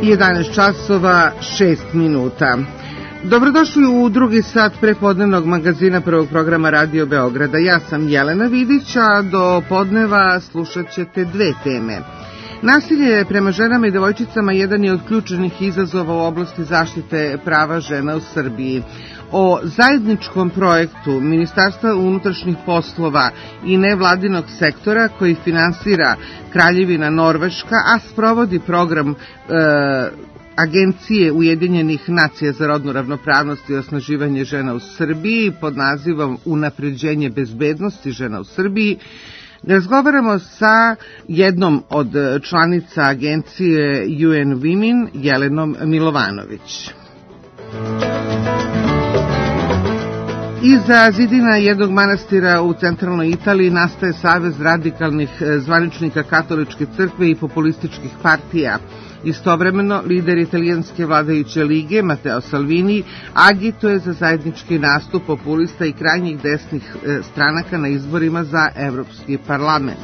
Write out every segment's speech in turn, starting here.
11 časova 6 minuta. Dobrodošli u drugi sat prepodnevnog magazina Prvog programa Radio Beograda. Ja sam Jelena Vidić, a do podneva slušat ćete dve teme. Nasilje prema ženama i devojčicama jedan je od ključnih izazova u oblasti zaštite prava žena u Srbiji. O zajedničkom projektu Ministarstva unutrašnjih poslova i nevladinog sektora koji finansira Kraljevina Norveška, a sprovodi program Agencije Ujedinjenih nacija za rodnu ravnopravnost i osnaživanje žena u Srbiji pod nazivom Unapređenje bezbednosti žena u Srbiji, razgovaramo sa jednom od članica agencije UN Women, Jelenom Milovanović. Iza zidina jednog manastira u centralnoj Italiji nastaje savez radikalnih zvaničnika katoličke crkve i populističkih partija. Istovremeno, lider italijanske vladajuće lige, Matteo Salvini, agituje za zajednički nastup populista i krajnjih desnih stranaka na izborima za Evropski parlament.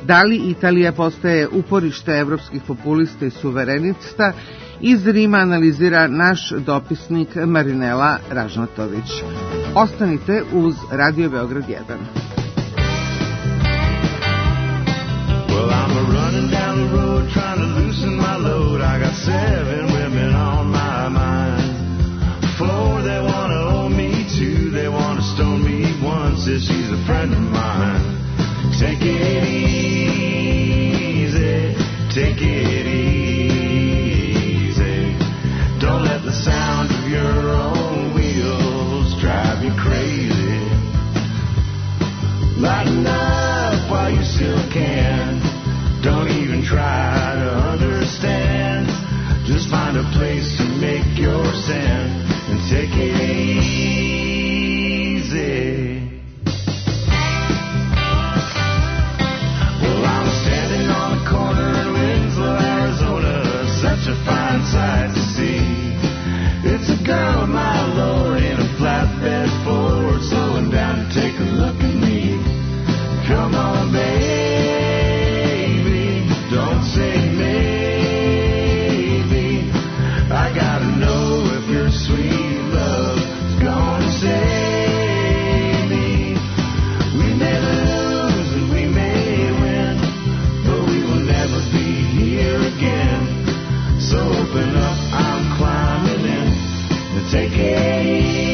Da li Italija postaje uporište evropskih populista i suverenista? Iz Rima analizira naš dopisnik Marinela Ražnatović. Ostanite uz Radio Beograd 1. Well, I'm running down the road trying to loosen my load. I got 7 women on my mind. 4 they want to own me, 2 they want to stone me, 1 says she's a friend of mine. Take it easy, take it easy. Don't let the sound of your own wheels drive you crazy. Lighten up while you still can. Don't even try to understand. Just find a place to make your stand and take it easy. Well, I'm standing on the corner in Winslow, Arizona. Such a fine sight to see. It's a girl, my lord, in a flatbed Ford, slowing down to take a look at me. Come on, baby, don't say maybe. I gotta know if your sweet love is gonna save me. We may lose and we may win, but we will never be here again. So open up, I'm climbing in, and take it easy.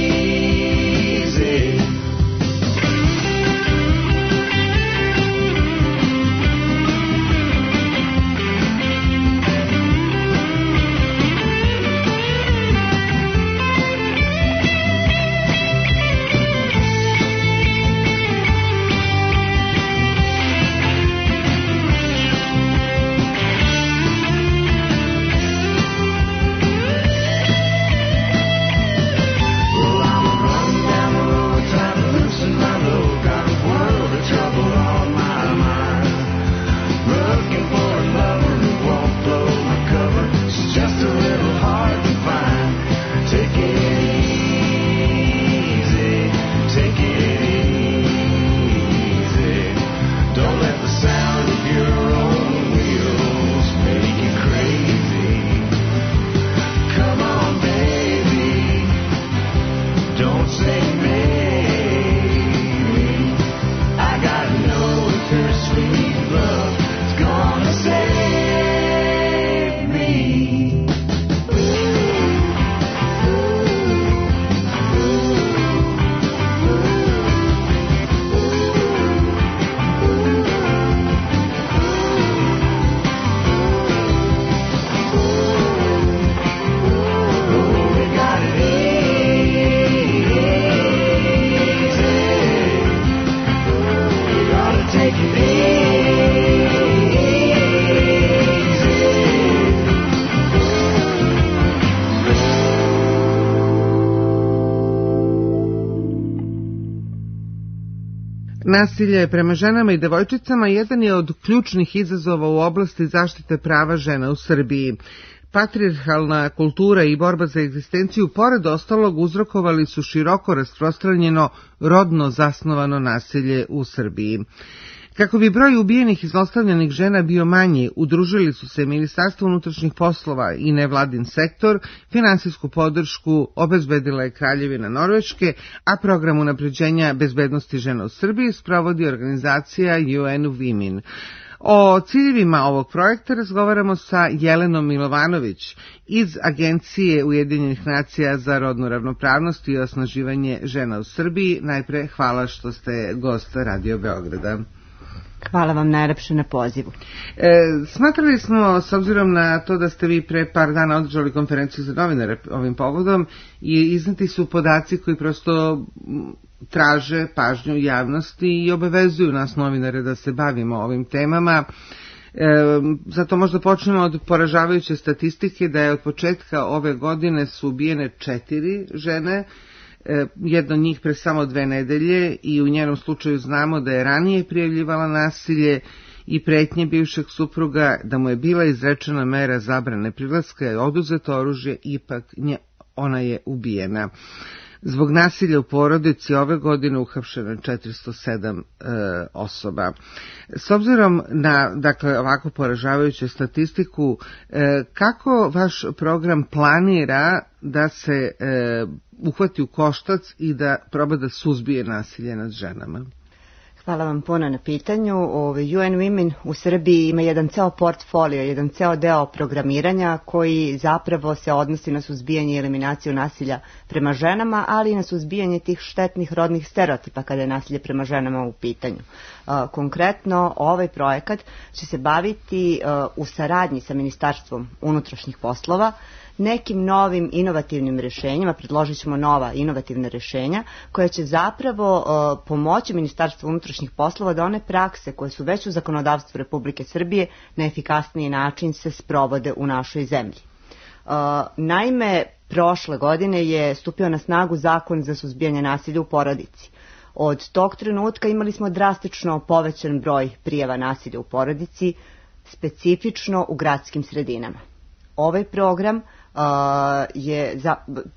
Nasilje prema ženama i devojčicama jedan je od ključnih izazova u oblasti zaštite prava žena u Srbiji. Patrijarhalna kultura i borba za egzistenciju, pored ostalog, uzrokovali su široko rasprostranjeno rodno zasnovano nasilje u Srbiji. Kako bi broj ubijenih i zlostavljanih žena bio manji, udružili su se Ministarstvo unutrašnjih poslova i nevladin sektor, finansijsku podršku obezbedila je Kraljevina Norveške, a program unapređenja bezbednosti žena u Srbiji sprovodi organizacija UN Women. O ciljevima ovog projekta razgovaramo sa Jelenom Milovanović iz Agencije Ujedinjenih nacija za rodnu ravnopravnost i osnaživanje žena u Srbiji. Najpre hvala što ste gost Radio Beograda. Hvala vam najlepše na pozivu. Smatrali smo, s obzirom na to da ste vi pre par dana održali konferenciju za novinare ovim povodom i izneti su podaci koji prosto traže pažnju javnosti i obavezuju nas novinare da se bavimo ovim temama. Zato možda počnemo od poražavajuće statistike da je od početka ove godine su ubijene 4 žene, jedna od njih pre samo 2 nedelje i u njenom slučaju znamo da je ranije prijavljivala nasilje i pretnje bivšeg supruga, da mu je bila izrečena mera zabrane prilaska i oduzeto oružje, ipak ona je ubijena. Zbog nasilja u porodici ove godine uhapšeno je 407 osoba. S obzirom na ovako poražavajuću statistiku, kako vaš program planira da se uhvati u koštac i da proba da suzbije nasilje nad ženama? Hvala vam puno na pitanju. UN Women u Srbiji ima jedan ceo portfolio, jedan ceo deo programiranja koji zapravo se odnosi na suzbijanje i eliminaciju nasilja prema ženama, ali i na suzbijanje tih štetnih rodnih stereotipa kada je nasilje prema ženama u pitanju. Konkretno, ovaj projekat će se baviti u saradnji sa Ministarstvom unutrašnjih poslova nekim novim inovativnim rješenjima, predložit ćemo nova inovativna rješenja koja će zapravo pomoći Ministarstvu unutrašnjih poslova da one prakse koje su već u zakonodavstvu Republike Srbije na efikasniji način se sprovode u našoj zemlji. Naime, prošle godine je stupio na snagu Zakon za suzbijanje nasilja u porodici. Od tog trenutka imali smo drastično povećan broj prijava nasilja u porodici, specifično u gradskim sredinama. Ovaj program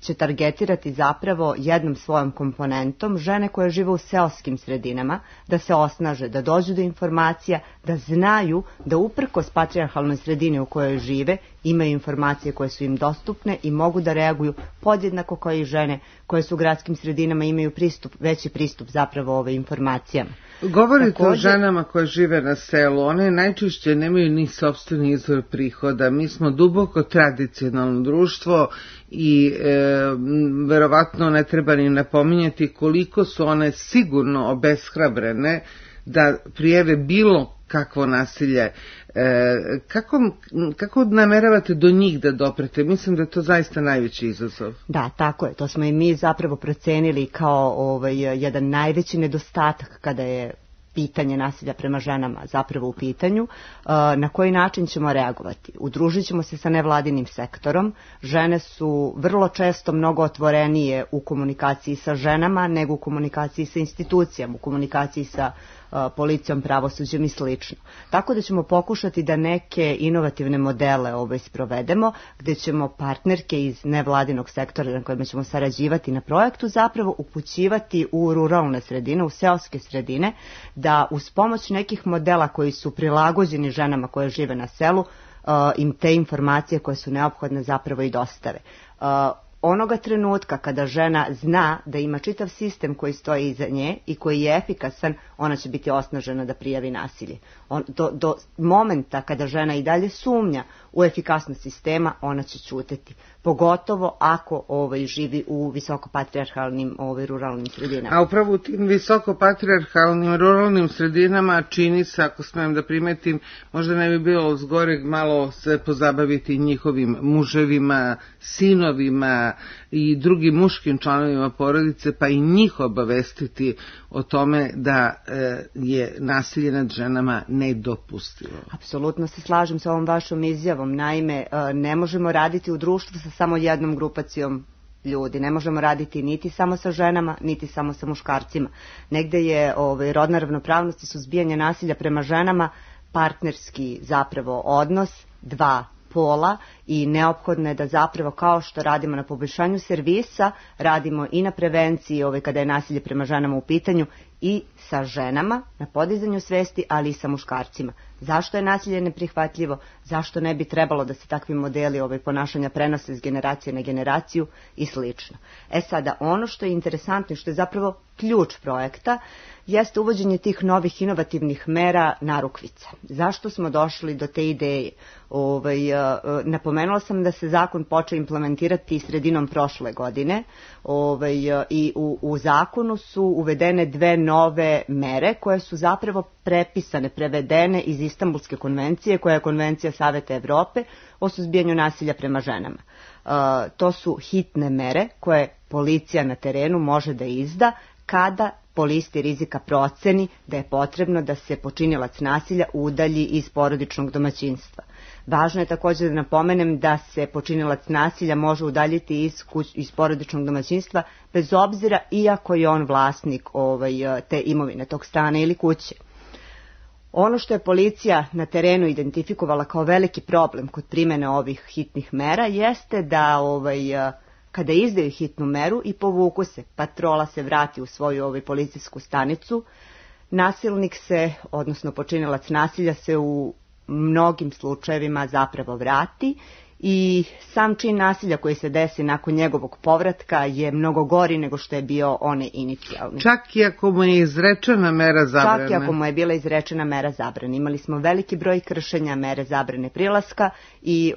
će targetirati zapravo jednom svojom komponentom žene koje žive u seoskim sredinama, da se osnaže, da dođu do informacija, da znaju da uprkos patrijarhalnoj sredini u kojoj žive imaju informacije koje su im dostupne i mogu da reaguju podjednako kao i žene koje su u gradskim sredinama imaju veći pristup zapravo ove informacijama. Govorite o ženama koje žive na selu, one najčešće nemaju ni sopstveni izvor prihoda. Mi smo duboko tradicionalno društvo i verovatno ne treba ni napominjati koliko su one sigurno obeshrabrene da prijave bilo kakvo nasilje. Kako nameravate do njih da doprete? Mislim da je to zaista najveći izazov. Da, tako je. To smo i mi zapravo procenili kao jedan najveći nedostatak kada je pitanje nasilja prema ženama zapravo u pitanju. Na koji način ćemo reagovati? Udružit ćemo se sa nevladinim sektorom. Žene su vrlo često mnogo otvorenije u komunikaciji sa ženama nego u komunikaciji sa institucijama, u komunikaciji sa policijom, pravosuđem i slično. Tako da ćemo pokušati da neke inovativne modele sprovedemo, gde ćemo partnerke iz nevladinog sektora na kojima ćemo sarađivati na projektu zapravo upućivati u ruralne sredine, u seoske sredine, da uz pomoć nekih modela koji su prilagođeni ženama koje žive na selu, im te informacije koje su neophodne zapravo i dostave. Onoga trenutka kada žena zna da ima čitav sistem koji stoji iza nje i koji je efikasan, ona će biti osnažena da prijavi nasilje. Do momenta kada žena i dalje sumnja u efikasnost sistema, ona će ćutati. Pogotovo ako živi u visokopatrijarhalnim ruralnim sredinama. A upravo u tim visokopatrijarhalnim ruralnim sredinama čini se, ako smijem da primetim, možda ne bi bilo zgoreg malo se pozabaviti njihovim muževima, sinovima i drugim muškim članovima porodice, pa i njih obavestiti o tome da je nasilje nad ženama nedopustivo. Apsolutno se slažem sa ovom vašom izjavom. Naime, ne možemo raditi u društvu sa samo jednom grupacijom ljudi. Ne možemo raditi niti samo sa ženama, niti samo sa muškarcima. Negde je rodna ravnopravnost i suzbijanje nasilja prema ženama partnerski zapravo odnos dva pola i neophodno je da zapravo kao što radimo na poboljšanju servisa, radimo i na prevenciji kada je nasilje prema ženama u pitanju i sa ženama na podizanju svesti, ali i sa muškarcima. Zašto je nasilje neprihvatljivo, zašto ne bi trebalo da se takvi modeli ponašanja prenose s generacije na generaciju i slično. Sada, ono što je interesantno i što je zapravo ključ projekta jeste uvođenje tih novih inovativnih mera narukvica. Zašto smo došli do te ideje? Napomenula sam da se zakon počeo implementirati sredinom prošle godine i u zakonu su uvedene dve nove mere koje su zapravo prepisane, prevedene iz Istanbulske konvencije, koja je konvencija Saveta Evrope o suzbijanju nasilja prema ženama. To su hitne mere koje policija na terenu može da izda kada po listi rizika proceni da je potrebno da se počinilac nasilja udalji iz porodičnog domaćinstva. Važno je također da napomenem da se počinilac nasilja može udaljiti iz porodičnog domaćinstva bez obzira iako je on vlasnik te imovine, tog stana ili kuće. Ono što je policija na terenu identifikovala kao veliki problem kod primjene ovih hitnih mera jeste da kada izdaju hitnu meru i povuku se, patrola se vrati u svoju policijsku stanicu, nasilnik se, odnosno počinilac nasilja se u mnogim slučajevima zapravo vrati i sam čin nasilja koji se desi nakon njegovog povratka je mnogo gori nego što je bio onaj inicijalni. Čak i ako mu je izrečena mera zabrane. Čak i ako mu je bila izrečena mera zabrane. Imali smo veliki broj kršenja mere zabrane prilaska i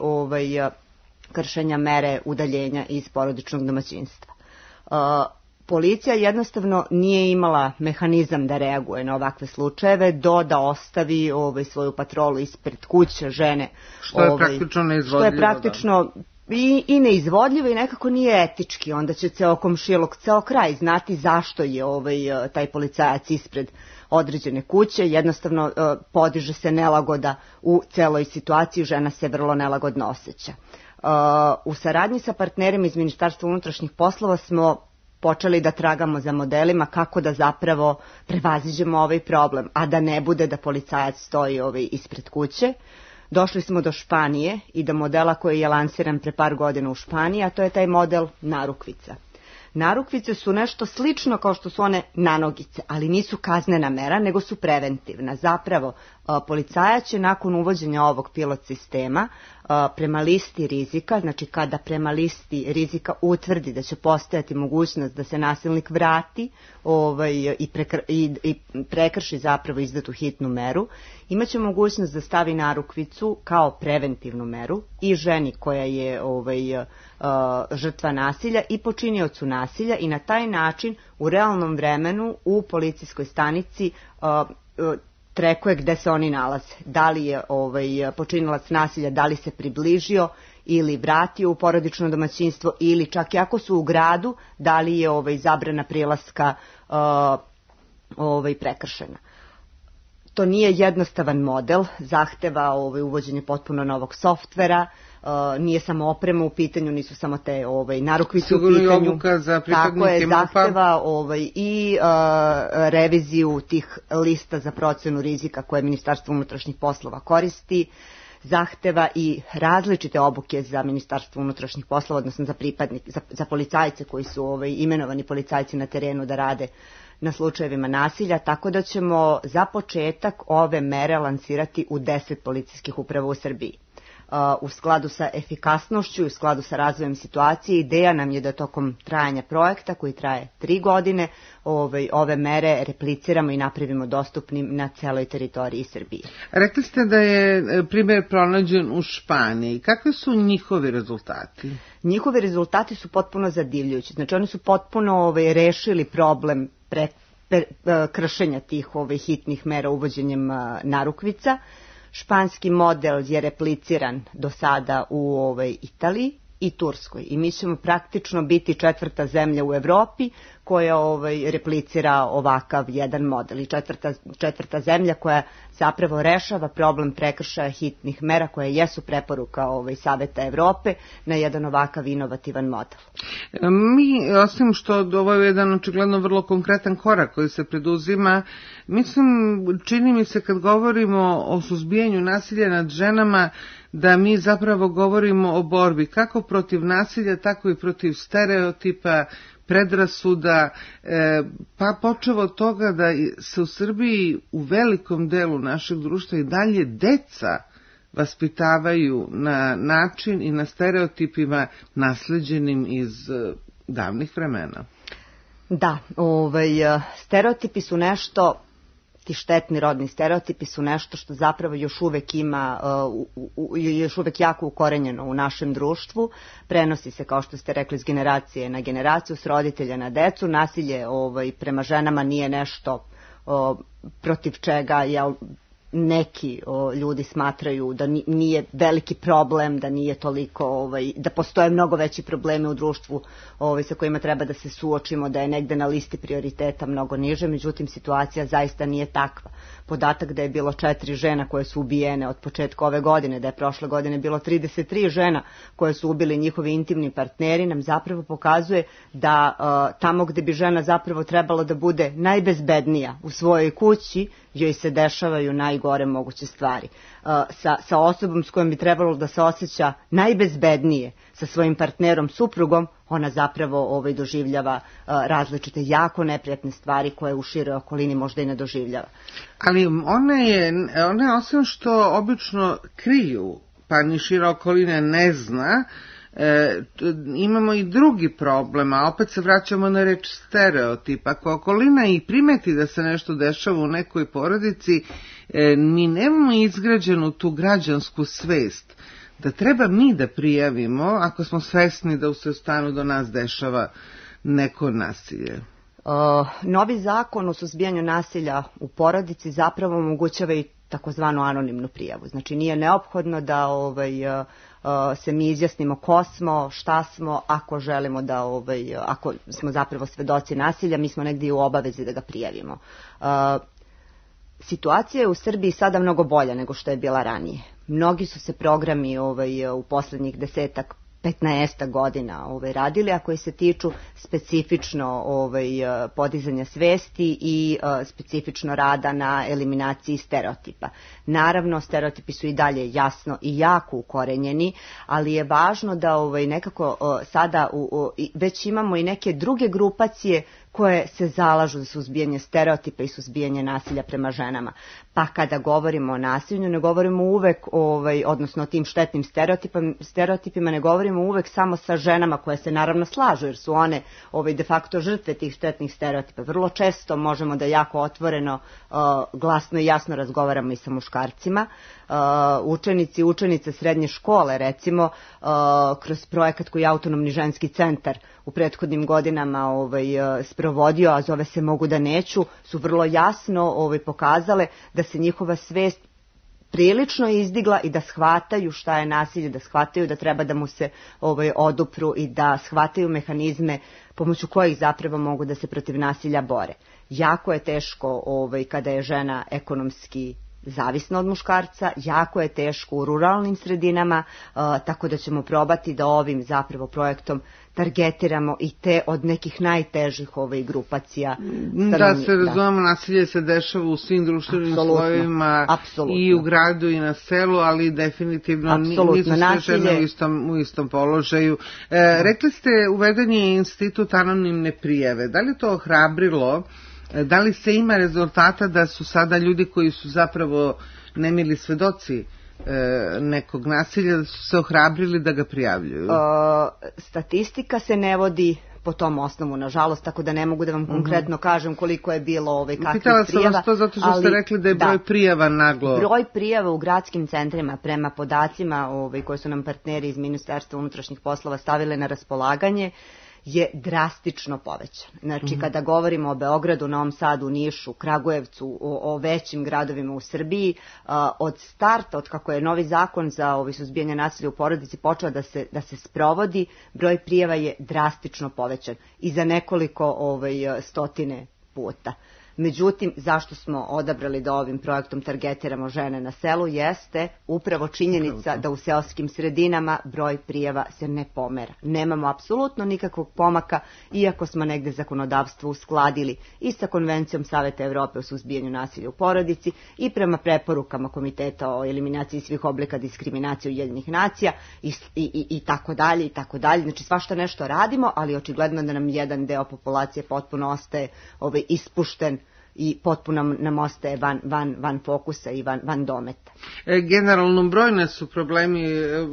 kršenja mere udaljenja iz porodičnog domaćinstva. Policija jednostavno nije imala mehanizam da reaguje na ovakve slučajeve da ostavi svoju patrolu ispred kuće žene. Što je praktično neizvodljivo. Što je praktično i neizvodljivo i nekako nije etički. Onda će ceo komšiluk, ceo kraj znati zašto je taj policajac ispred određene kuće. Jednostavno podiže se nelagoda u celoj situaciji, žena se vrlo nelagodno osjeća. U saradnji sa partnerima iz Ministarstva unutrašnjih poslova smo počeli da tragamo za modelima kako da zapravo prevaziđemo ovaj problem, a da ne bude da policajac stoji ispred kuće. Došli smo do Španije i do modela koji je lansiran pre par godina u Španiji, a to je taj model narukvica. Narukvice su nešto slično kao što su one nanogice, ali nisu kaznena mera, nego su preventivna. Zapravo, policajac će nakon uvođenja ovog pilot sistema prema listi rizika, znači kada prema listi rizika utvrdi da će postojati mogućnost da se nasilnik vrati i prekrši zapravo izdatu hitnu meru, imaće mogućnost da stavi narukvicu kao preventivnu meru i ženi koja je žrtva nasilja i počiniocu nasilja i na taj način u realnom vremenu u policijskoj stanici trekuje gde se oni nalaze. Da li je počinilac nasilja, da li se približio ili vratio u porodično domaćinstvo ili čak i ako su u gradu, da li je zabrana prilaska prekršena. To nije jednostavan model, zahteva uvođenje potpuno novog softvera, nije samo oprema u pitanju, nisu samo te narukvice u pitanju. Tako je, zahteva i reviziju tih lista za procenu rizika koje Ministarstvo unutrašnjih poslova koristi, zahteva i različite obuke za Ministarstvo unutrašnjih poslova, odnosno za policajce koji su imenovani policajci na terenu da rade na slučajevima nasilja, tako da ćemo za početak ove mere lansirati u 10 policijskih uprava u Srbiji. U skladu sa efikasnošću i u skladu sa razvojem situacije, ideja nam je da tokom trajanja projekta, koji traje 3 godine, ove mere repliciramo i napravimo dostupnim na celoj teritoriji Srbije. Rekli ste da je primjer pronađen u Španiji. Kakvi su njihovi rezultati? Njihovi rezultati su potpuno zadivljujući. Znači oni su potpuno rešili problem kršenja tih hitnih mera uvođenjem narukvica. Španski model je repliciran do sada u Italiji i Turskoj i mi ćemo praktično biti 4. zemlja u Evropi koja replicira ovakav jedan model i četvrta zemlja koja zapravo rešava problem prekršaja hitnih mera koje jesu preporuka Saveta Evrope na jedan ovakav inovativan model. Mi, osim što ovo je jedan očigledno vrlo konkretan korak koji se preduzima, mislim, čini mi se kad govorimo o suzbijanju nasilja nad ženama, da mi zapravo govorimo o borbi kako protiv nasilja, tako i protiv stereotipa, predrasuda, pa počevo od toga da se u Srbiji u velikom delu našeg društva i dalje deca vaspitavaju na način i na stereotipima nasleđenim iz davnih vremena. Da, stereotipi su nešto, ti štetni rodni stereotipi su nešto što zapravo još uvek ima, još uvek jako ukorenjeno u našem društvu. Prenosi se, kao što ste rekli, s generacije na generaciju, s roditelja na decu. Nasilje prema ženama nije nešto protiv čega neki ljudi smatraju da nije veliki problem, da nije toliko, da postoje mnogo veći problemi u društvu sa kojima treba da se suočimo, da je negde na listi prioriteta mnogo niže, međutim situacija zaista nije takva. Podatak da je bilo 4 žena koje su ubijene od početka ove godine, da je prošle godine bilo 33 žena koje su ubili njihovi intimni partneri, nam zapravo pokazuje da tamo gde bi žena zapravo trebalo da bude najbezbednija u svojoj kući, joj se dešavaju najgore moguće stvari. Sa osobom s kojom bi trebalo da se osjeća najbezbednije, sa svojim partnerom, suprugom, ona zapravo doživljava različite jako neprijatne stvari koje u široj okolini možda i ne doživljava. Ali one osim što obično kriju, pa ni šira okolina ne zna, imamo i drugi problem, a opet se vraćamo na reč stereotip. Ako okolina i primeti da se nešto dešava u nekoj porodici, mi nemamo izgrađenu tu građansku svest da treba mi da prijavimo ako smo svesni da u stanu do nas dešava neko nasilje. Novi zakon o suzbijanju nasilja u porodici zapravo omogućava i takozvanu anonimnu prijavu. Znači nije neophodno da se mi izjasnimo ko smo, šta smo, ako želimo da, ako smo zapravo svedoci nasilja, mi smo negdje u obavezi da ga prijavimo. Situacija je u Srbiji sada mnogo bolja nego što je bila ranije. Mnogi su se programi u poslednjih 10-15 godina radili, a koji se tiču specifično podizanja svesti i specifično rada na eliminaciji stereotipa. Naravno, stereotipi su i dalje jasno i jako ukorenjeni, ali je važno da nekako sada već imamo i neke druge grupacije koje se zalažu za suzbijanje stereotipa i suzbijanje nasilja prema ženama. Pa kada govorimo o nasilju, ne govorimo uvek, odnosno o tim štetnim stereotipima, ne govorimo uvek samo sa ženama koje se naravno slažu, jer su one de facto žrtve tih štetnih stereotipa. Vrlo često možemo da jako otvoreno, glasno i jasno razgovaramo i sa muškarcima. Učenici i učenice srednje škole, recimo, kroz projekat koji je Autonomni ženski centar u prethodnim godinama sprovodio, a zove se Mogu da neću, su vrlo jasno pokazale da se njihova svest prilično izdigla i da shvataju šta je nasilje, da shvataju da treba da mu se odupru i da shvataju mehanizme pomoću kojih zapravo mogu da se protiv nasilja bore. Jako je teško kada je žena ekonomski zavisna od muškarca, jako je teško u ruralnim sredinama, tako da ćemo probati da ovim zapravo projektom targetiramo i te od nekih najtežih grupacija. Da se razumemo, nasilje se dešava u svim društvenim slojevima i u gradu i na selu, ali definitivno nisu sve žene u istom položaju. Rekli ste, uveden je institut anonimne prijave. Da li to ohrabrilo? Da li se ima rezultata da su sada ljudi koji su zapravo nemili svedoci nekog nasilja, da su se ohrabrili da ga prijavljuju? Statistika se ne vodi po tom osnovu, nažalost, tako da ne mogu da vam konkretno kažem koliko je bilo kakvih prijava. Pitala sam vas to zato što ste rekli da je broj prijava naglo. Broj prijava u gradskim centrima prema podacima koje su nam partneri iz Ministarstva unutrašnjih poslova stavile na raspolaganje je drastično povećan. Znači, kada govorimo o Beogradu, Novom Sadu, Nišu, Kragujevcu, o većim gradovima u Srbiji, od starta, od kako je novi zakon za suzbijanje nasilja u porodici počeo da se sprovodi, broj prijava je drastično povećan i za nekoliko stotine puta. Međutim, zašto smo odabrali da ovim projektom targetiramo žene na selu jeste upravo činjenica da u seoskim sredinama broj prijava se ne pomera. Nemamo apsolutno nikakvog pomaka, iako smo negde zakonodavstvo uskladili i sa Konvencijom Saveta Evrope o suzbijanju nasilja u porodici i prema preporukama Komiteta o eliminaciji svih oblika diskriminacije Ujedinjenih nacija i tako dalje i tako dalje. Znači svašta nešto radimo, ali očigledno da nam jedan deo populacije potpuno ostaje ispušten i potpuno nam ostaje van fokusa i van dometa. Generalno brojne su problemi,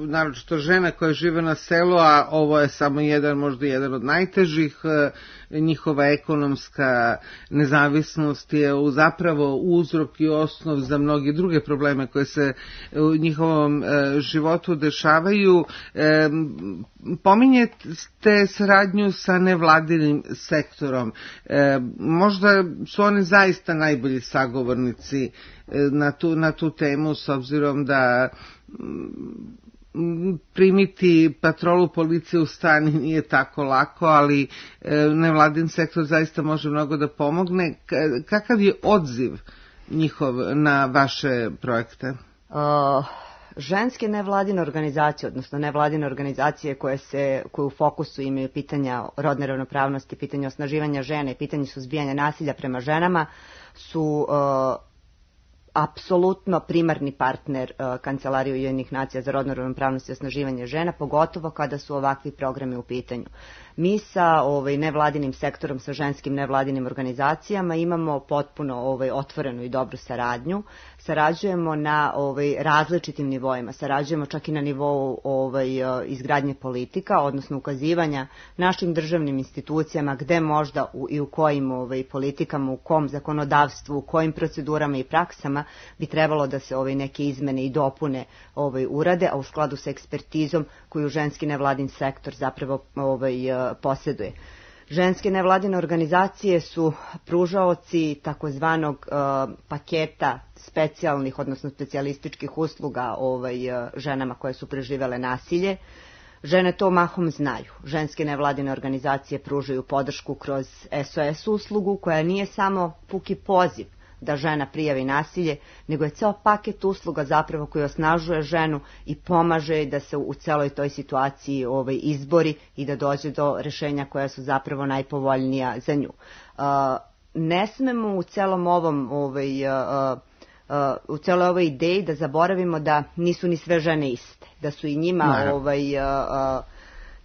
naročito žena koje žive na selu, a ovo je samo možda jedan od najtežih. Njihova ekonomska nezavisnost je zapravo uzrok i osnov za mnoge druge probleme koje se u njihovom životu dešavaju. Pominjete saradnju sa nevladinim sektorom. Možda su oni zaista najbolji sagovornici na tu temu, s obzirom da primiti patrolu policije u stan nije tako lako, ali nevladin sektor zaista može mnogo da pomogne. Kakav je odziv njihov na vaše projekte? Ženske nevladine organizacije, odnosno nevladine organizacije koje u fokusu imaju pitanja rodne ravnopravnosti, pitanja osnaživanja žene i pitanje suzbijanja nasilja prema ženama su apsolutno primarni partner Kancelarije Ujedinjenih nacija za rodnu ravnopravnost i osnaživanje žena, pogotovo kada su ovakvi programi u pitanju. Mi sa nevladinim sektorom, sa ženskim nevladinim organizacijama imamo potpuno otvorenu i dobru saradnju. Sarađujemo na različitim nivoima, sarađujemo čak i na nivou izgradnje politika, odnosno ukazivanja našim državnim institucijama gde možda i u kojim politikama, u kom zakonodavstvu, u kojim procedurama i praksama bi trebalo da se neke izmene i dopune urade, a u skladu sa ekspertizom koju ženski nevladin sektor zapravo posjeduje. Ženske nevladine organizacije su pružaoci takozvanog paketa specijalnih, odnosno specijalističkih usluga ženama koje su preživele nasilje. Žene to mahom znaju. Ženske nevladine organizacije pružaju podršku kroz SOS uslugu koja nije samo puki poziv da žena prijavi nasilje, nego je ceo paket usluga zapravo koji osnažuje ženu i pomaže da se u celoj toj situaciji izbori i da dođe do rešenja koja su zapravo najpovoljnija za nju. Ne smemo u celom ovom u celoj ovoj ideji da zaboravimo da nisu ni sve žene iste, da su i njima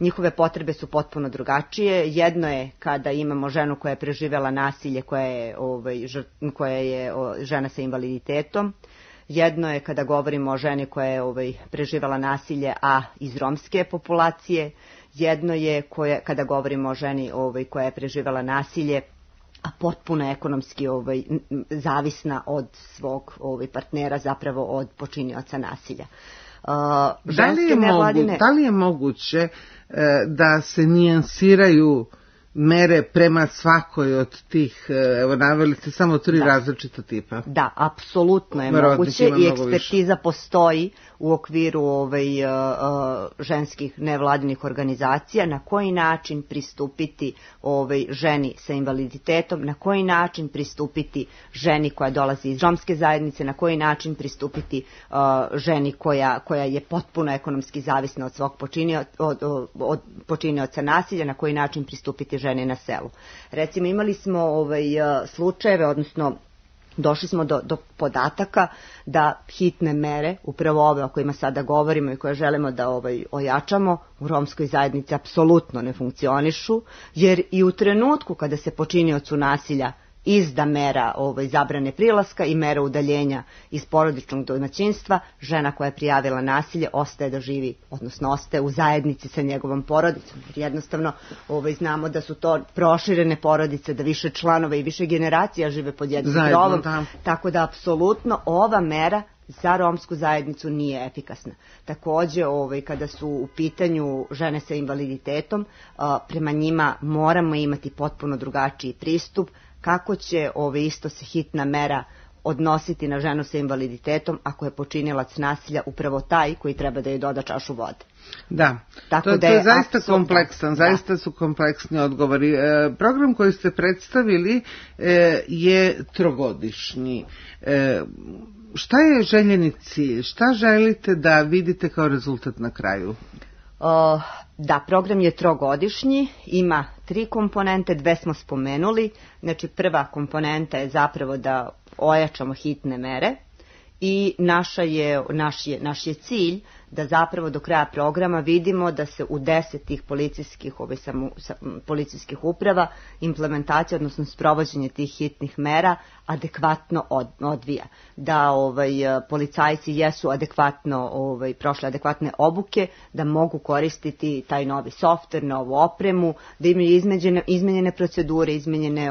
njihove potrebe su potpuno drugačije. Jedno je kada imamo ženu koja je preživela nasilje, koja je žena sa invaliditetom. Jedno je kada govorimo o ženi koja je preživela nasilje, a iz romske populacije. Jedno je kada govorimo o ženi koja je preživela nasilje, a potpuno ekonomski zavisna od svog partnera, zapravo od počinioca nasilja. Da li je moguće da se nijansiraju mere prema svakoj od tih, evo naveli ste samo 3 različita tipa? Da, apsolutno je moguće i ekspertiza postoji u okviru ženskih nevladinih organizacija, na koji način pristupiti ženi sa invaliditetom, na koji način pristupiti ženi koja dolazi iz romske zajednice, na koji način pristupiti ženi koja je potpuno ekonomski zavisna od svog počinioca nasilja, na koji način pristupiti ženi na selu. Recimo, imali smo slučajeve, odnosno došli smo do podataka da hitne mere, upravo ove o kojima sada govorimo i koje želimo da ojačamo, u romskoj zajednici apsolutno ne funkcionišu, jer i u trenutku kada se počiniocu nasilja izda mera zabrane prilaska i mera udaljenja iz porodičnog domaćinstva, žena koja je prijavila nasilje ostaje da živi, odnosno ostaje u zajednici sa njegovom porodicom. Jer jednostavno znamo da su to proširene porodice, da više članova i više generacija žive pod jednim krovom, tako da apsolutno ova mera za romsku zajednicu nije efikasna. Takođe, kada su u pitanju žene sa invaliditetom, prema njima moramo imati potpuno drugačiji pristup. Kako će isto se hitna mera odnositi na ženu sa invaliditetom ako je počinilac nasilja upravo taj koji treba da joj doda čašu vode. Da, Tako to da je zaista apsolutno kompleksan, zaista su kompleksni odgovori. Program koji ste predstavili je trogodišnji. Šta je željeni cilj? Šta želite da vidite kao rezultat na kraju? Da, program je trogodišnji, ima 3 komponente, 2 smo spomenuli. Znači, prva komponenta je zapravo da ojačamo hitne mere i naš je cilj da zapravo do kraja programa vidimo da se u 10 tih policijskih uprava implementacija, odnosno sprovođenje tih hitnih mera adekvatno odvija. Da policajci jesu adekvatno prošle adekvatne obuke, da mogu koristiti taj novi softver, novu opremu, da imaju izmenjene procedure, izmenjene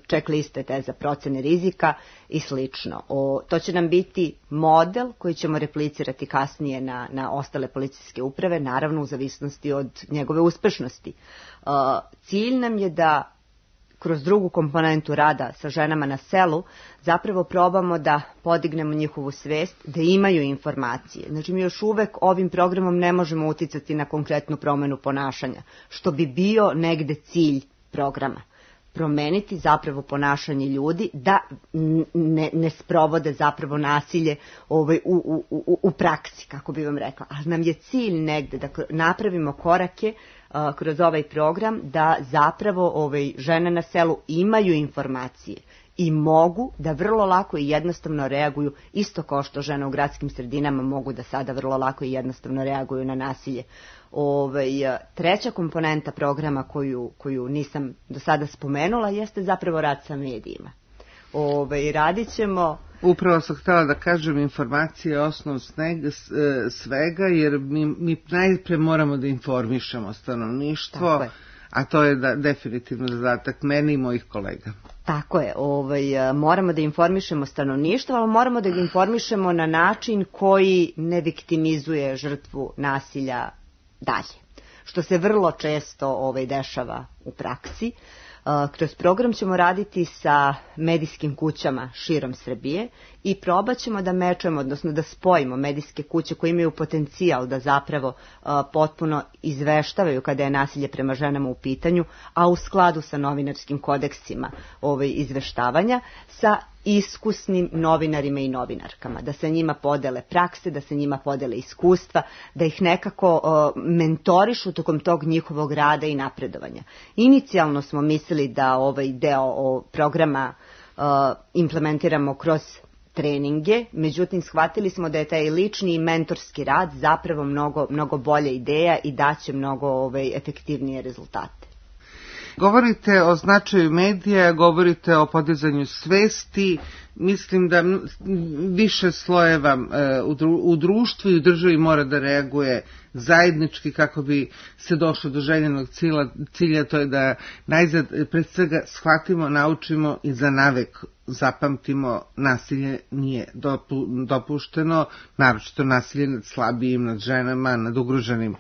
checkliste te za procene rizika i slično. To će nam biti model koji ćemo replicirati kasnije na ostale policijske uprave, naravno u zavisnosti od njegove uspešnosti. Cilj nam je da kroz drugu komponentu rada sa ženama na selu zapravo probamo da podignemo njihovu svest, da imaju informacije. Znači, mi još uvek ovim programom ne možemo uticati na konkretnu promenu ponašanja, što bi bio negde cilj programa. Promeniti zapravo ponašanje ljudi da ne sprovode zapravo nasilje u praksi, kako bi vam rekla. Ali nam je cilj negde da napravimo korake kroz ovaj program da zapravo žene na selu imaju informacije i mogu da vrlo lako i jednostavno reaguju, isto kao što žene u gradskim sredinama mogu da sada vrlo lako i jednostavno reaguju na nasilje. Treća komponenta programa koju nisam do sada spomenula jeste zapravo rad sa medijima. Radit ćemo... Upravo sam htjela da kažem, informacije je osnov svega, jer mi najprije moramo da informišemo stanovništvo, a to je definitivno zadatak mene i mojih kolega. Tako je, moramo da informišemo stanovništvo, ali moramo da ga informišemo na način koji ne viktimizuje žrtvu nasilja dalje, što se vrlo često dešava u praksi. Kroz program ćemo raditi sa medijskim kućama širom Srbije i probat ćemo da mečemo, odnosno da spojimo medijske kuće koje imaju potencijal da zapravo potpuno izveštavaju kada je nasilje prema ženama u pitanju, a u skladu sa novinarskim kodeksima izveštavanja, sa iskusnim novinarima i novinarkama, da se njima podele prakse, da se njima podele iskustva, da ih nekako mentorišu tokom tog njihovog rada i napredovanja. Inicijalno smo mislili da ovaj deo programa implementiramo kroz treninge, međutim shvatili smo da je taj lični i mentorski rad zapravo mnogo bolja ideja i daće mnogo efektivnije rezultate. Govorite o značaju medija, govorite o podizanju svesti, mislim da više slojeva u društvu i u državi mora da reaguje zajednički kako bi se došlo do željenog cilja, to je da najzad pred svega shvatimo, naučimo i za navek zapamtimo nasilje nije dopušteno, naročito nasilje nad slabijim, nad ženama, nad ugroženim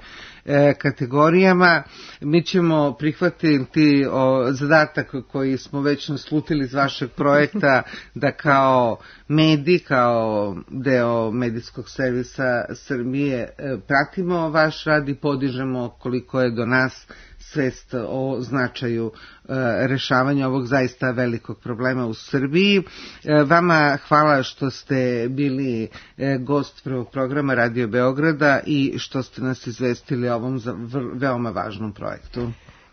kategorijama. Mi ćemo prihvatiti zadatak koji smo već naslutili iz vašeg projekta da kao medij, kao deo medijskog servisa Srbije pratimo vaš rad i podižemo koliko je do nas svest o značaju rešavanja ovog zaista velikog problema u Srbiji. Vama hvala što ste bili gost prvog programa Radio Beograda i što ste nas izvestili o ovom veoma važnom projektu.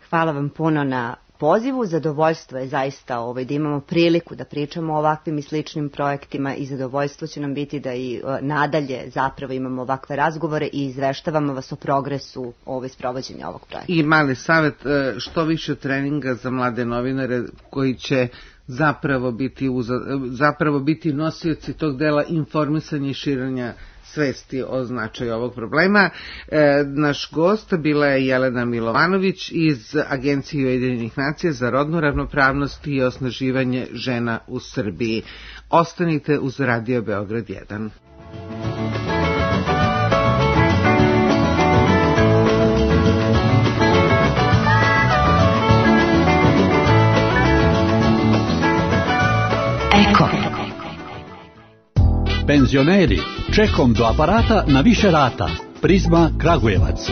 Hvala vam puno na pozivu, zadovoljstvo je zaista da imamo priliku da pričamo o ovakvim i sličnim projektima i zadovoljstvo će nam biti da i nadalje zapravo imamo ovakve razgovore i izveštavamo vas o progresu sprovođenja ovog projekta. I mali savjet, što više treninga za mlade novinare koji će zapravo biti nosioci tog dela informisanja i širenja svesti o značaju ovog problema. Naš gost bila je Jelena Milovanović iz Agencije Ujedinjenih nacija za rodnu ravnopravnost i osnaživanje žena u Srbiji. Ostanite uz Radio Beograd 1. Eko. Penzioneri, čekom do aparata na više rata. Prizma Kragujevac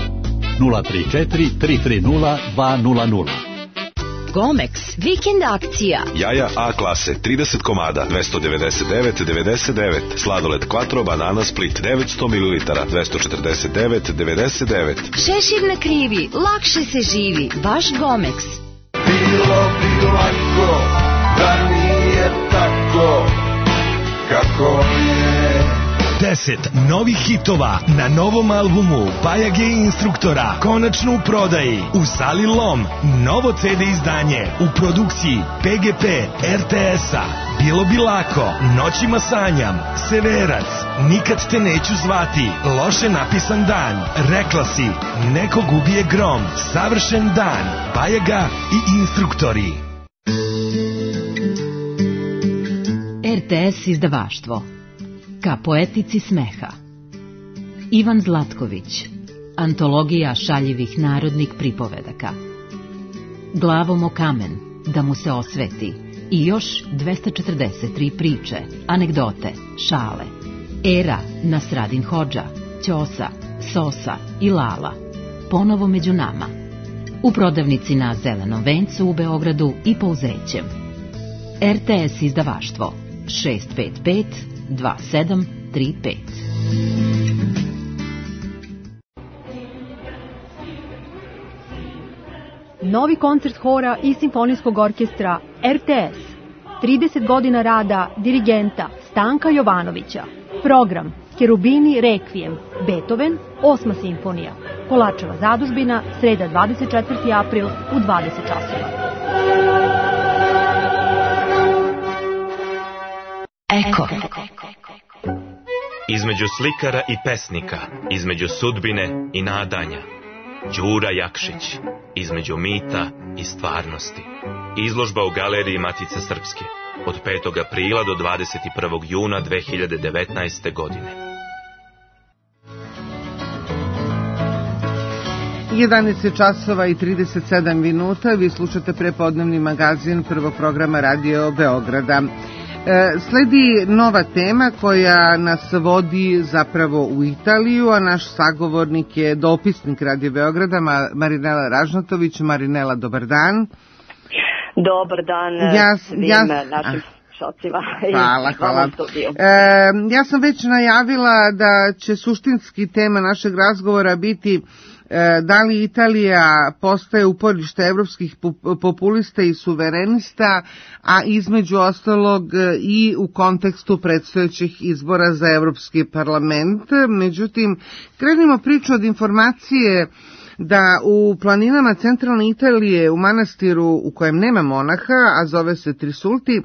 034 330 200. Gomex, vikend akcija. Jaja A klase, 30 komada, 299,99. Sladoled Quattro, banana Split, 900 ml, 249,99. Šešir na krivi, lakše se živi, baš Gomex. Bilo bi lako da nije tako kako je. 10 novih hitova na novom albumu Bajage instruktora konačno u prodaji u sali Lom. Novo CD izdanje u produkciji PGP RTS-a. Bilo bi lako, Noćima sanjam, Severac, Nikad te neću zvati, Loše napisan dan, Rekla si, Nekog ubije grom, Savršen dan, Bajaga i instruktori. RTS izdavaštvo. Ka poetici smeha. Ivan Zlatković. Antologija šaljivih narodnih pripovedaka. Glavom o kamen, da mu se osveti. I još 243 priče, anegdote, šale. Era, Nasradin Hodža, Ćosa, Sosa i Lala. Ponovo među nama. U prodavnici na Zelenom vencu u Beogradu i Pouzećem. RTS izdavaštvo 655 2735. Novi koncert hora i simfonijskog orkestra RTS. 30 godina rada dirigenta Stanka Jovanovića. Program Kerubini Rekvijem, Beethoven, 8. simfonija. Kolačeva zadužbina, sreda 24. april u 20 časova. Eko. Između slikara i pesnika, između sudbine i nadanja. Đura Jakšić, između mita i stvarnosti. Izložba u Galeriji Matice Srpske od 5. aprila do 21. juna 2019. godine. 11 časova i 37 minuta. Vi slušate prepodnevni magazin prvog programa Radio Beograda. Sledi nova tema koja nas vodi zapravo u Italiju, a naš sagovornik je dopisnik Radio Beograda Marinela Ražnatović. Marinela, dobar dan. Dobar dan svim našim šocima. Hvala. Ja sam već najavila da će suštinski tema našeg razgovora biti da li Italija postaje uporište evropskih populista i suverenista, a između ostalog i u kontekstu predstojećih izbora za Evropski parlament. Međutim, krenimo priču od informacije da u planinama centralne Italije, u manastiru u kojem nema monaha, a zove se Trisulti,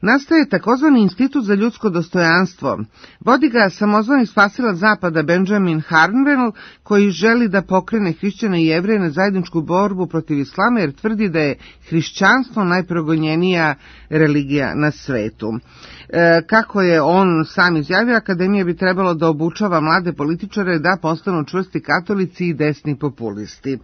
nastaje takozvani institut za ljudsko dostojanstvo. Vodi ga samozvani spasilac zapada Benjamin Harnwell, koji želi da pokrene hrišćane i Jevreje na zajedničku borbu protiv islama, jer tvrdi da je hrišćanstvo najprogonjenija religija na svetu. Kako je on sam izjavio, akademija bi trebalo da obučava mlade političare da postanu čvrsti katolici i desni populisti.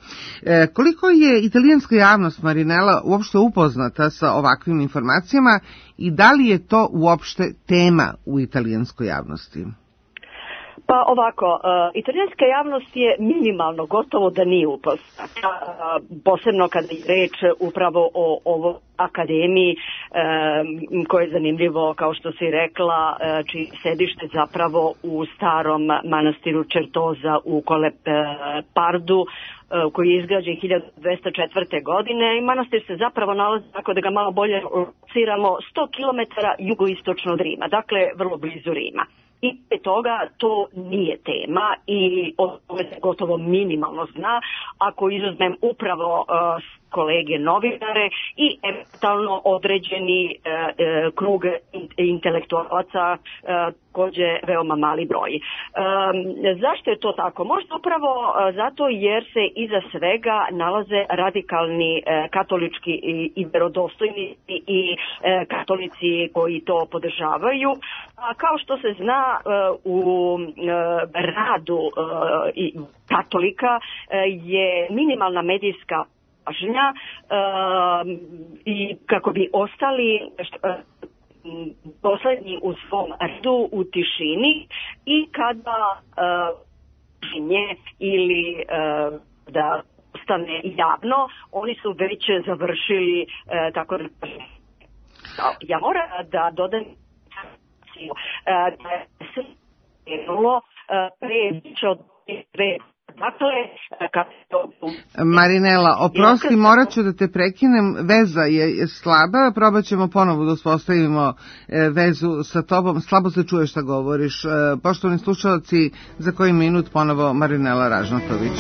Koliko je italijanska javnost, Marinela, uopšte upoznata sa ovakvim informacijama i da li je to uopšte tema u italijanskoj javnosti? Pa ovako, italijanska javnost je minimalno, gotovo da nije upoznata, posebno kada je reč upravo o ovoj akademiji, koje je zanimljivo, kao što si rekla, čiji sedište zapravo u starom manastiru Čertoza u Kolepardu, koji je izgrađen 1204. godine, i manastir se zapravo nalazi, tako da ga malo bolje lociramo, 100 km jugoistočno od Rima, dakle vrlo blizu Rima. I pre toga to nije tema i o tome se gotovo minimalno zna, ako izuzmem upravo kolege novinare i eventualno određeni krug intelektualaca, takođe veoma mali broj. Zašto je to tako? Možda upravo zato jer se iza svega nalaze radikalni katolički i verodostojni i katolici koji to podržavaju. A kao što se zna, u radu katolika je minimalna medijska pažnja i kako bi ostali poslednji u svom redu u tišini i kada nje ili da stane javno, oni su već završili, tako da ja moram da dodam da se krenulo pre više od 2. Dakle, Marinela, oprosti, morat ću da te prekinem, veza je slaba, probat ćemo ponovo da uspostavimo vezu sa tobom, slabo se čuje šta govoriš. Poštovani slušalci, za koji minut ponovo Marinela Ražnatović.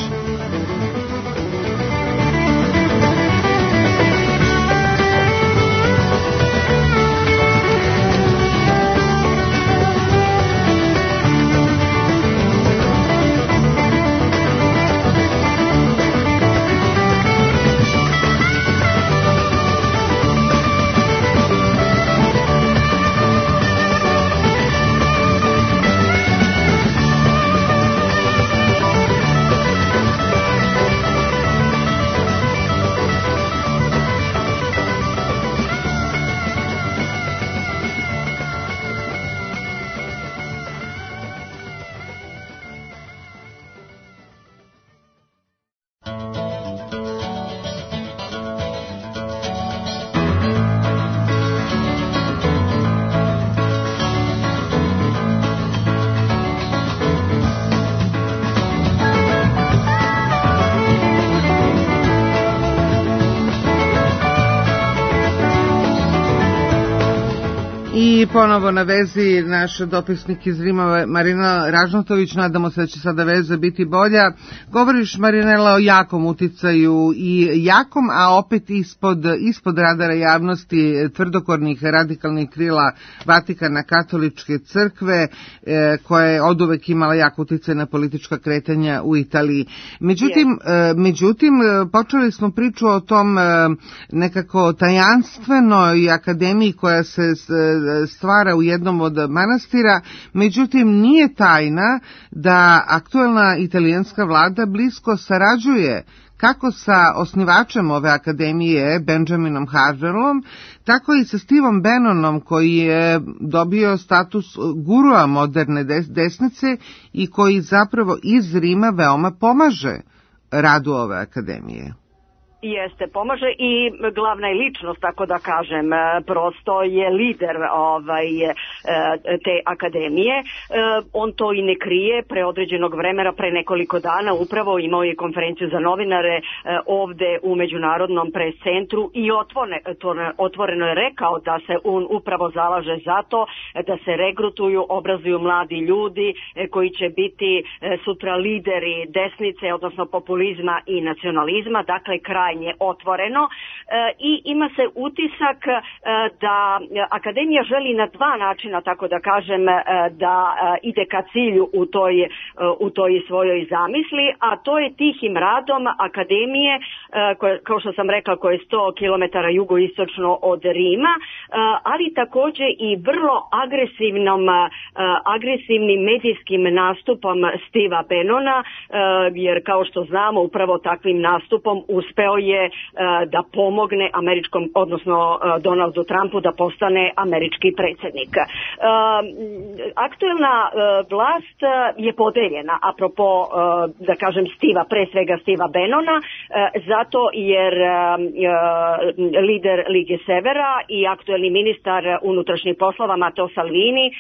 I ponovo na vezi naš dopisnik iz Rima Marina Ražnatović, nadamo se da će sada veza biti bolja. Govoriš, Marinela, o jakom uticaju i jakom, a opet ispod radara javnosti tvrdokornih radikalnih krila Vatikana katoličke crkve, koja je oduvek imala jak uticaj na politička kretanja u Italiji. Međutim, počeli smo priču o tom nekako tajanstvenoj akademiji koja se stvara u jednom od manastira, međutim nije tajna da aktuelna italijanska vlada blisko sarađuje kako sa osnivačem ove akademije, Benjaminom Harvelom, tako i sa Stevom Bannonom, koji je dobio status gurua moderne desnice i koji zapravo iz Rima veoma pomaže radu ove akademije. Jeste, pomaže i glavna je ličnost, tako da kažem, prosto je lider te akademije. On to i ne krije, pre određenog vremena, pre nekoliko dana upravo imao je konferenciju za novinare ovde u Međunarodnom pres centru i otvoreno je rekao da se on upravo zalaže za to da se regrutuju, obrazuju mladi ljudi koji će biti sutra lideri desnice, odnosno populizma i nacionalizma, dakle krajnje otvoreno, i ima se utisak da akademija želi na dva načina, tako da kažem, da ide ka cilju u toj svojoj zamisli, a to je tihim radom akademije, kao što sam rekla, koja je 100 km jugoistočno od Rima, ali takođe i vrlo agresivnim medijskim nastupom Steva Bannona, jer kao što znamo, upravo takvim nastupom uspeo je da pomogne američkom, odnosno Donaldu Trumpu da postane američki predsjednik. Aktuelna vlast je podeljena, apropo, da kažem, pre svega Steva Bannona, zato jer lider Lige Severa i aktuelni ministar unutrašnjih poslova Matteo Salvini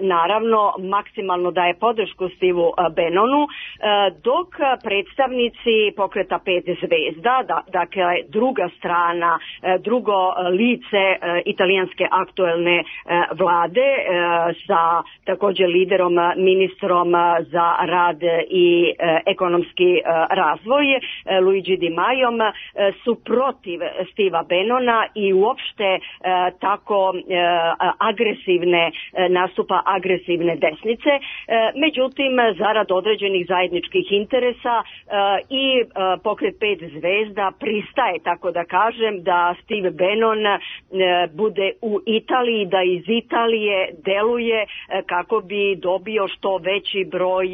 naravno maksimalno daje podršku Stevu Bannonu, dok predstavnici pokreta 5 zvezda, dakle druga strana, drugo lice italijanske aktuelne vlade sa također liderom, ministrom za rad i ekonomski razvoj Luigi Di Maiom, su protiv Steva Bannona i uopšte tako nastupa agresivne desnice. Međutim, zarad određenih zajedničkih zajedničkih interesa i pokret 5 zvezda pristaje, tako da kažem, da Steve Bannon bude u Italiji, da iz Italije deluje kako bi dobio što veći broj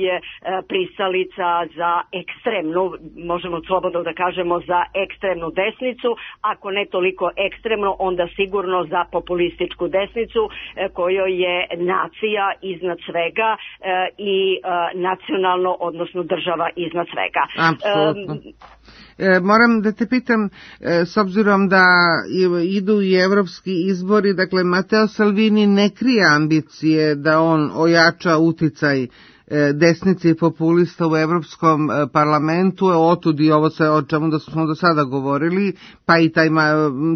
pristalica za ekstremnu, možemo slobodno da kažemo za ekstremnu desnicu, ako ne toliko ekstremno, onda sigurno za populističku desnicu kojoj je nacija iznad svega i nacionalno, odnosno država iznad svega. Apsolutno. Moram da te pitam, s obzirom da idu i evropski izbori, dakle Matteo Salvini ne krije ambicije da on ojača uticaj desnice i populista u Evropskom parlamentu, otud i ovo sve o čemu da smo do sada govorili, pa i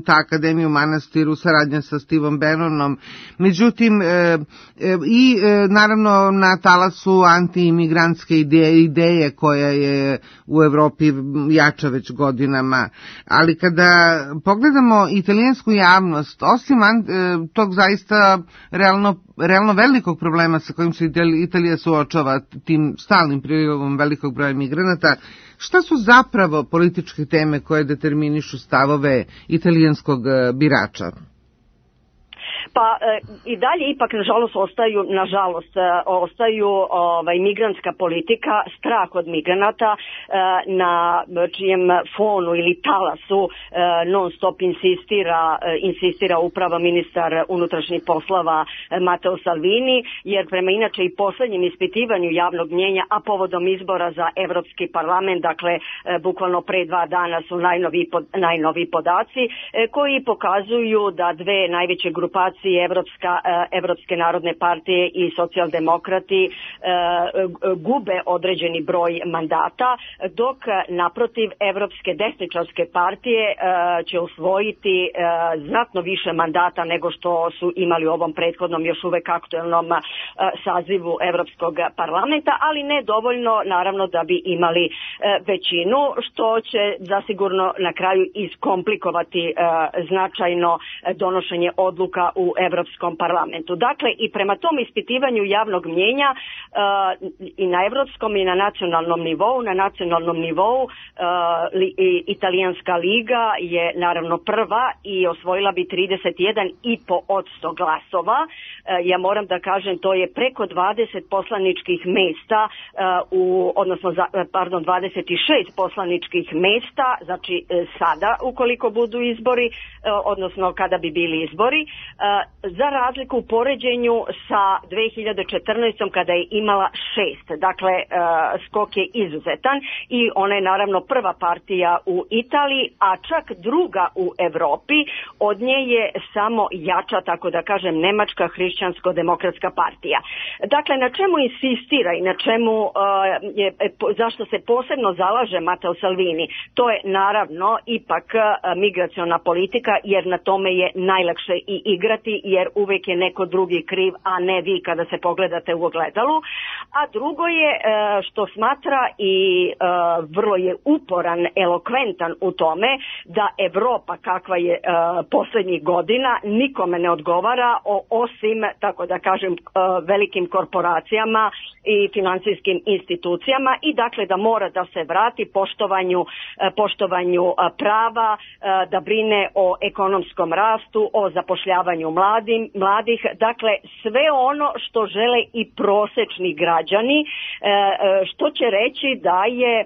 ta akademija u Manastiru, saradnja sa Stevom Bannonom. Međutim, i naravno na talasu antiimigrantske ideje koja je u Evropi jača već godinama, ali kada pogledamo italijansku javnost, osim tog zaista realno velikog problema sa kojim se Italija suočava, tim stalnim prilivom velikog broja migranata, šta su zapravo političke teme koje determinišu stavove italijanskog birača? Pa i dalje ipak nažalost ostaju migrantska politika, strah od migranata na čijem fonu ili talasu non stop insistira upravo ministar unutrašnjih poslova Matteo Salvini, jer prema inače i poslednjem ispitivanju javnog mnjenja, a povodom izbora za Evropski parlament, dakle bukvalno pre 2 dana su najnoviji podaci koji pokazuju da dve najveće grupacije Evropske narodne partije i socijaldemokrati gube određeni broj mandata, dok naprotiv Evropske desničarske partije će osvojiti znatno više mandata nego što su imali u ovom prethodnom još uvek aktuelnom sazivu Evropskog parlamenta, ali ne dovoljno naravno da bi imali većinu, što će zasigurno na kraju iskomplikovati značajno donošenje odluka u Evropskom parlamentu. Dakle, i prema tom ispitivanju javnog mnjenja i na evropskom i na nacionalnom nivou, Italijanska liga je naravno prva i osvojila bi 31,5% glasova. Ja moram da kažem, to je preko 20 poslaničkih mesta, 26 poslaničkih mesta, znači sada ukoliko budu izbori, odnosno kada bi bili izbori, za razliku u poređenju sa 2014. kada je imala 6. Dakle, skok je izuzetan i ona je naravno prva partija u Italiji, a čak druga u Evropi. Od nje je samo jača, tako da kažem, Nemačka hrišćansko-demokratska partija. Dakle, na čemu insistira i na čemu, zašto se posebno zalaže Matteo Salvini? To je naravno ipak migraciona politika, jer na tome je najlakše i igrati, jer uvek je neko drugi kriv, a ne vi kada se pogledate u ogledalu. A drugo je što smatra i vrlo je uporan, elokventan u tome da Evropa kakva je poslednjih godina nikome ne odgovara osim, tako da kažem, velikim korporacijama i finansijskim institucijama, i dakle da mora da se vrati poštovanju prava, da brine o ekonomskom rastu, o zapošljavanju mladih, dakle sve ono što žele i prosečni građani, što će reći da je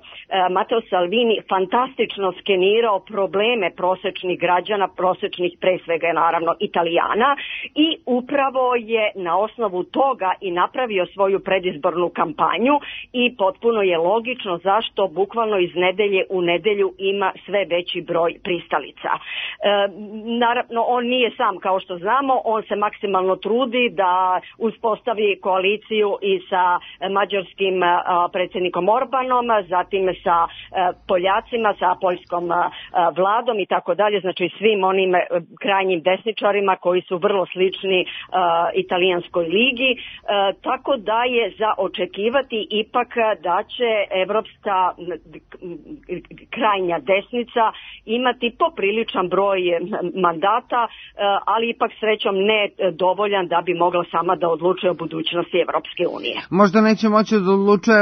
Matteo Salvini fantastično skenirao probleme prosečnih građana, prosečnih pre svega naravno Italijana, i upravo je na osnovu toga i napravio svoju predizbornu kampanju, i potpuno je logično zašto bukvalno iz nedelje u nedelju ima sve veći broj pristalica. Naravno, on nije sam, kao što znamo, on se maksimalno trudi da uspostavi koaliciju i sa mađarskim predsjednikom Orbanom, zatim sa Poljacima, sa poljskom vladom i tako dalje, znači svim onim krajnjim desničarima koji su vrlo slični Italijanskoj ligi, tako da je za očekivati ipak da će evropska krajnja desnica imati popriličan broj mandata, ali ipak srećom ne dovoljan da bi mogla sama da odlučuje o budućnosti Evropske unije. Možda neće moći da odlučuje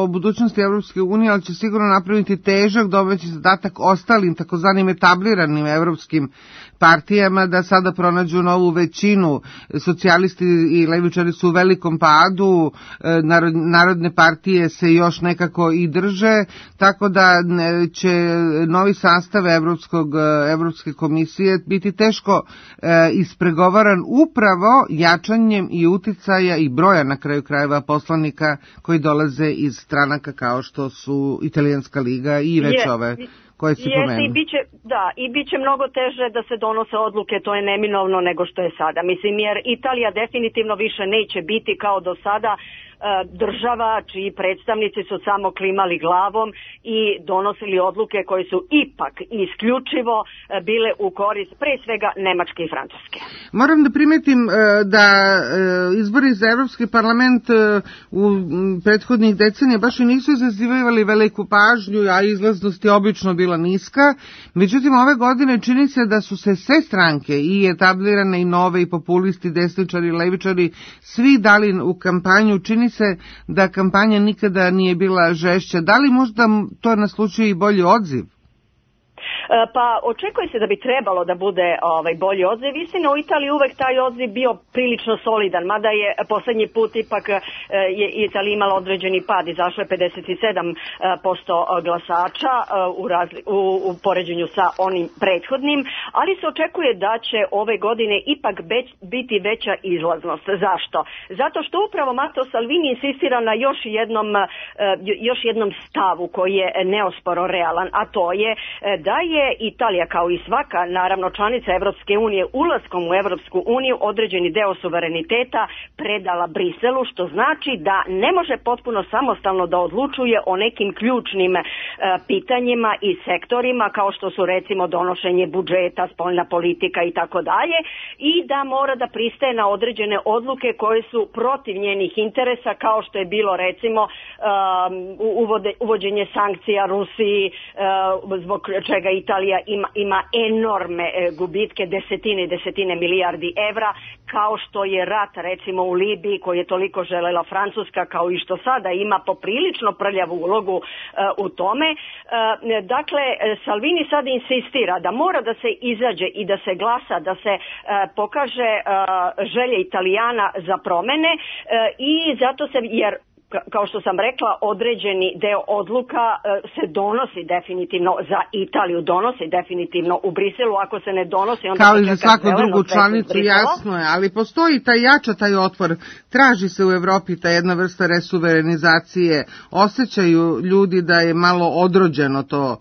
o budućnosti Evropske unije, ali će sigurno napraviti težak domaći zadatak ostalim takozvanim etabliranim evropskim partijama da sada pronađu novu većinu. Socijalisti i levičari su u velikom padu, narodne partije se još nekako i drže, tako da će novi sastav Evropske komisije biti teško ispregovaran upravo jačanjem i uticaja i broja na kraju krajeva poslanika koji dolaze iz stranaka kao što su Italijanska liga i već ove koje si pomenuo. I biće mnogo teže da se donose odluke, to je neminovno nego što je sada. Mislim, jer Italija definitivno više neće biti kao do sada država čiji predstavnici su samo klimali glavom i donosili odluke koje su ipak isključivo bile u korist pre svega Nemačke i Francuske. Moram da primetim da izbori za Evropski parlament u prethodnih decenija baš i nisu izazivali veliku pažnju, a izlaznost je obično bila niska. Međutim, ove godine čini se da su se sve stranke, i etablirane i nove, i populisti, desničari i levičari, svi dali u kampanju. Čini se da kampanja nikada nije bila žešća. Da li možda to naslučuje i bolji odziv? Pa očekuje se da bi trebalo da bude bolji odziv. Istina, u Italiji uvek taj odziv bio prilično solidan, mada je poslednji put ipak je Italija imala određeni pad, izašlo je 57% glasača u poređenju sa onim prethodnim, ali se očekuje da će ove godine ipak biti veća izlaznost. Zašto? Zato što upravo Matteo Salvini insistira na još jednom stavu koji je neosporo realan, a to je da je Italija kao i svaka naravno članica Evropske unije ulaskom u Evropsku uniju određeni deo suvereniteta predala Briselu, što znači da ne može potpuno samostalno da odlučuje o nekim ključnim pitanjima i sektorima kao što su recimo donošenje budžeta, spoljna politika i tako dalje, i da mora da pristaje na određene odluke koje su protiv njenih interesa, kao što je bilo recimo uvođenje sankcija Rusiji, zbog čega Italija ima enormne gubitke, desetine milijardi evra, kao što je rat recimo u Libiji koji je toliko želela Francuska, kao i što sada ima poprilično prljavu ulogu u tome. Dakle, Salvini sad insistira da mora da se izađe i da se glasa, da se pokaže želje Italijana za promene i zato se, jer kao što sam rekla, određeni deo odluka se donosi definitivno za Italiju, donosi definitivno u Briselu, ako se ne donosi onda kao i za svaku drugu članicu, jasno je, ali postoji taj otpor, traži se u Evropi ta jedna vrsta resuverenizacije, osjećaju ljudi da je malo odrođeno to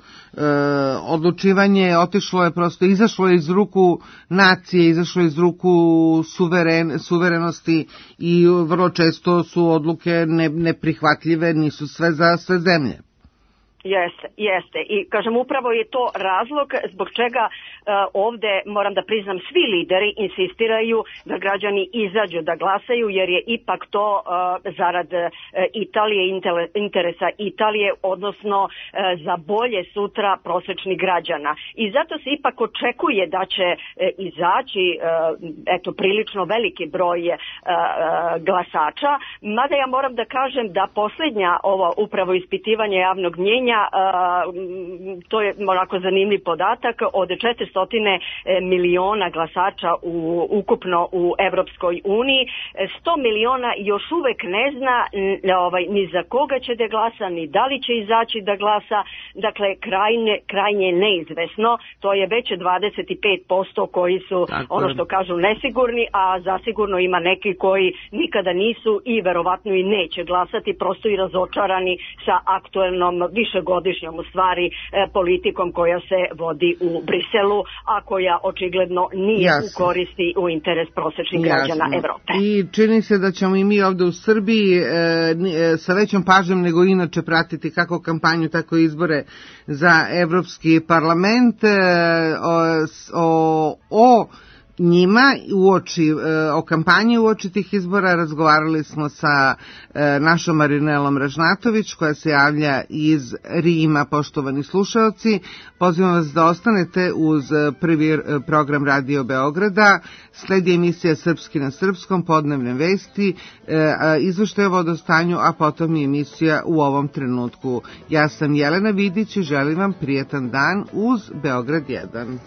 odlučivanje, otišlo je prosto, izašlo je iz ruku nacije, izašlo je iz ruku suverenosti i vrlo često su odluke neprihvatljive, nisu sve za sve zemlje. Jeste. I kažem, upravo je to razlog zbog čega ovde, moram da priznam, svi lideri insistiraju da građani izađu da glasaju, jer je ipak to zarad Italije, interesa Italije, odnosno za bolje sutra prosečnih građana. I zato se ipak očekuje da će izaći prilično veliki broj glasača, mada ja moram da kažem da posljednja ova upravo ispitivanje javnog mnjenja, to je onako zanimljiv podatak, od 400 miliona glasača ukupno u Evropskoj uniji, 100 miliona još uvek ne zna ni za koga će da glasa, ni da li će izaći da glasa, dakle krajnje neizvesno, to je već 25% koji su ono što kažu nesigurni, a zasigurno ima neki koji nikada nisu i verovatno i neće glasati, prosto i razočarani sa aktuelnom višegodišnjom u stvari politikom koja se vodi u Briselu, a koja očigledno nije u koristi u interes prosečnih građana Evrope. I čini se da ćemo i mi ovde u Srbiji sa većom pažnjom nego inače pratiti kako kampanju, tako i izbore za Evropski parlament. O njima o kampanji uoči tih izbora razgovarali smo sa našom Marinelom Ražnatović koja se javlja iz Rima. Poštovani slušaoci, pozivam vas da ostanete uz prvi program Radio Beograda. Sledi emisija Srpski na srpskom, podnevne vesti, izveštajevo o stanju, a potom i emisija U ovom trenutku. Ja sam Jelena Vidić i želim vam prijetan dan uz Beograd 1.